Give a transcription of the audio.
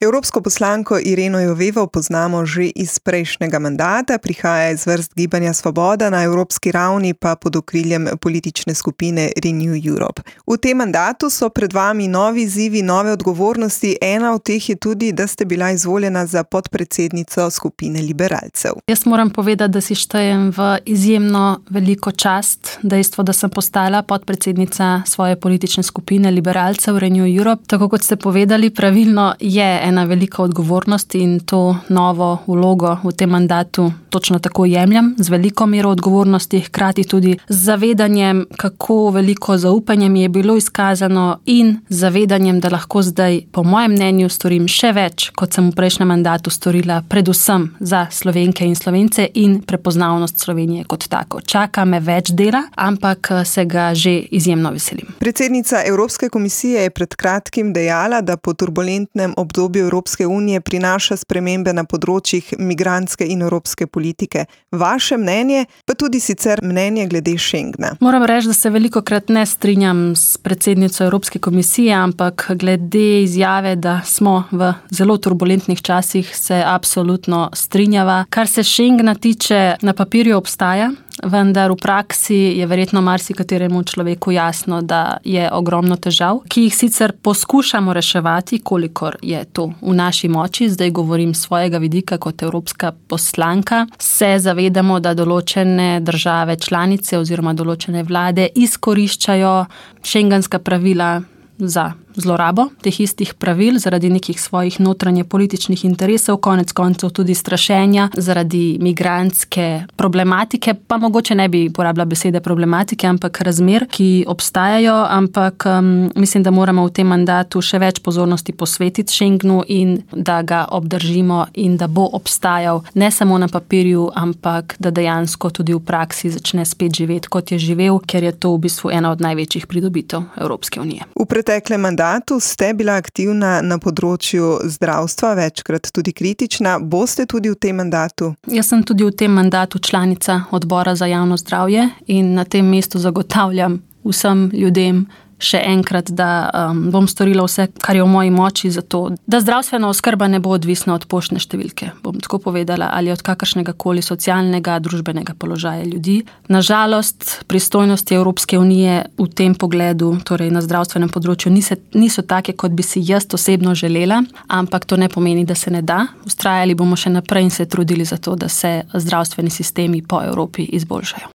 Evropsko poslanko Ireno Jovevo poznamo že iz prejšnjega mandata, prihaja iz vrst Gibanja Svoboda, na evropski ravni pa pod okriljem politične skupine Renew Europe. V tem mandatu so pred vami novi izzivi, nove odgovornosti. Ena od teh je tudi, da ste bila izvoljena za podpredsednico skupine liberalcev. Jaz moram povedati, da si štejem v izjemno veliko čast dejstvo, da sem postala podpredsednica svoje politične skupine liberalcev Renew Europe. Tako kot ste povedali, pravilno je ena velika odgovornost in to novo vlogo v tem mandatu točno tako jemljam, z veliko mero odgovornosti, hkrati tudi z zavedanjem, kako veliko zaupanja mi je bilo izkazano in zavedanjem, da lahko zdaj, po mojem mnenju, storim še več, kot sem v prejšnjem mandatu storila, predvsem za Slovenke in Slovence in prepoznavnost Slovenije kot tako. Čaka me več dela, ampak se ga že izjemno veselim. Predsednica Evropske komisije je pred kratkim dejala, da po turbulentnem obdobju Evropske unije prinaša spremembe na področjih migrantske in evropske politike. Vaše mnenje, pa tudi sicer mnenje glede Schengna. Moram reči, da se velikokrat ne strinjam s predsednico Evropske komisije, ampak glede izjave, da smo v zelo turbulentnih časih, se absolutno strinjava. Kar se Schengna tiče, na papirju obstaja, vendar v praksi je verjetno marsikateremu človeku jasno, da je ogromno težav, ki jih sicer poskušamo reševati, kolikor je to v naši moči. Zdaj govorim z svojega vidika kot evropska poslanka. Se zavedamo, da določene države članice oziroma določene vlade izkoriščajo schengenska pravila za zlorabo teh istih pravil zaradi nekih svojih notranje političnih interesov, konec koncev tudi strašenja zaradi migrantske problematike, pa mogoče ne bi porabila besede problematike, ampak razmer, ki obstajajo, ampak mislim, da moramo v tem mandatu še več pozornosti posvetiti Schengenu in da ga obdržimo in da bo obstajal ne samo na papirju, ampak da dejansko tudi v praksi začne spet živeti, kot je živel, ker je to v bistvu ena od največjih pridobitev Evropske unije. V preteklem mandatu ste bila aktivna na področju zdravstva, večkrat tudi kritična. Boste tudi v tem mandatu? Jaz sem tudi v tem mandatu članica odbora za javno zdravje in na tem mestu zagotavljam vsem ljudem še enkrat, da bom storila vse, kar je v moji moči, zato da zdravstvena oskrba ne bo odvisna od poštne številke, bom tako povedala, ali od kakršnega koli socialnega, družbenega položaja ljudi. Nažalost, pristojnosti Evropske unije v tem pogledu, torej na zdravstvenem področju, niso take, kot bi si jaz osebno želela, ampak to ne pomeni, da se ne da. Vztrajali bomo še naprej in se trudili za to, da se zdravstveni sistemi po Evropi izboljšajo.